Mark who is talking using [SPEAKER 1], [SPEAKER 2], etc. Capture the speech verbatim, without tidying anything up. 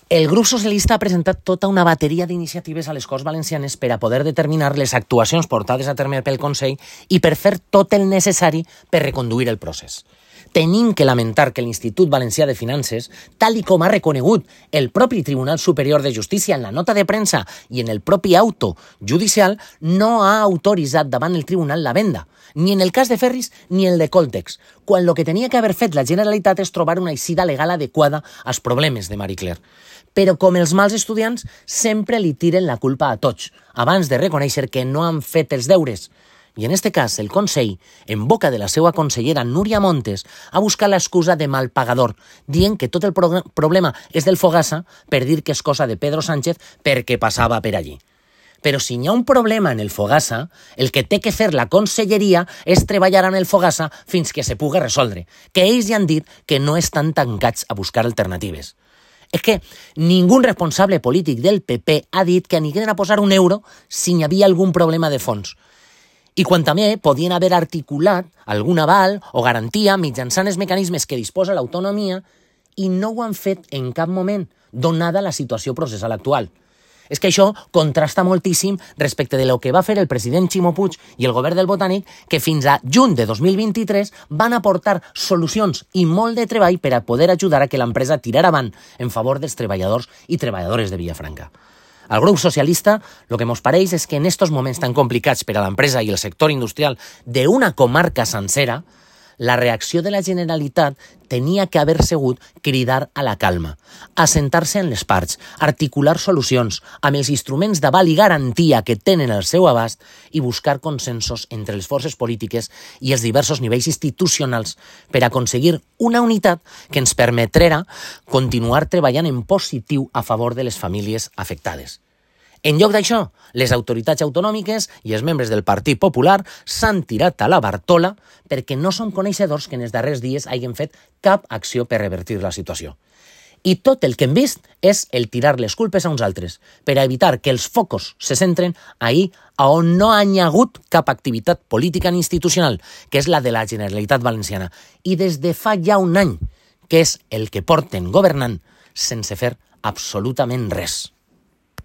[SPEAKER 1] El grup socialista ha presentat tota una bateria d'iniciatives a les Corts Valencianes per a poder determinar les actuacions portades a terme pel Consell i per fer tot el necessari per reconduir el procés. Tenim que lamentar que l'Institut Valencià de Finances, tal i com ha reconegut el propi Tribunal Superior de Justícia en la nota de premsa i en el propi auto judicial, no ha autoritzat davant el tribunal la venda, ni en el cas de Ferris ni el de Coltex, quan el que tenia que haver fet la Generalitat és trobar una eixida legal adequada als problemes de Marie Claire. Però com els mals estudiants, sempre li tiren la culpa a tots, abans de reconèixer que no han fet els deures. I en este cas, el Consell, en boca de la seva consellera Núria Montes, ha buscat l'excusa de mal pagador, dient que tot el pro- problema és del Fogassa per dir que és cosa de Pedro Sánchez perquè passava per allí. Però si hi ha un problema en el Fogassa, el que té que fer la conselleria és treballar en el Fogassa fins que se pugui resoldre, que ells ja han dit que no estan tancats a buscar alternatives. És que ningú responsable polític del P P ha dit que anirien a posar un euro si hi havia algun problema de fons. I quan també podien haver articulat algun aval o garantia mitjançant els mecanismes que disposa l'autonomia i no ho han fet en cap moment, donada la situació processal actual. És que això contrasta moltíssim respecte de lo que va fer el president Ximo Puig i el govern del Botànic, que fins a juny de dos mil vint-i-tres van aportar solucions i molt de treball per a poder ajudar a que l'empresa tirara avant en favor dels treballadors i treballadores de Villafranca. Al grup socialista, el que ens pareix és que en estos moments tan complicats per a l'empresa i el sector industrial d'una comarca sencera, la reacció de la Generalitat tenia que haver sigut cridar a la calma, assentar-se en les parts, articular solucions amb els instruments d'aval i garantia que tenen al seu abast i buscar consensos entre les forces polítiques i els diversos nivells institucionals per aconseguir una unitat que ens permetrà continuar treballant en positiu a favor de les famílies afectades. En lloc d'això, les autoritats autonòmiques i els membres del Partit Popular s'han tirat a la Bartola perquè no som coneixedors que en els darrers dies hagin fet cap acció per revertir la situació. I tot el que hem vist és el tirar les culpes a uns altres, per a evitar que els focus se centren ahir on no hi ha hagut cap activitat política ni institucional, que és la de la Generalitat Valenciana, i des de fa ja un any, que és el que porten governant sense fer absolutament res.